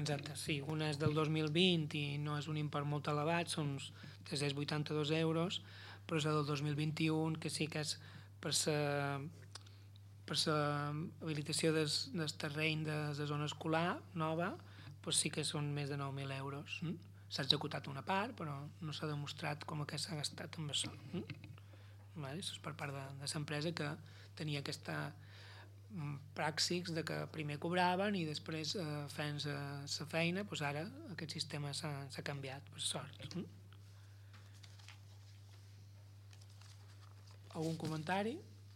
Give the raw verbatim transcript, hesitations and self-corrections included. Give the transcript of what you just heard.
exacte, sí. Una és del dos mil vint i no és un import molt elevat, són uns tres-cents vuitanta-dos euros, però és la del dos mil vint-i-u, que sí que és per la per l'habilitació del, del terreny de la zona escolar nova, doncs sí que són més de nou mil euros. Mm? S'ha executat una part, però no s'ha demostrat com que s'ha gastat amb això. Mm? Vale? Això és per part de, de l'empresa que tenia aquesta praxis de que primer cobraven i després eh, feien la feina, doncs ara aquest sistema s'ha canviat, per sort. Mm? Algun comentari?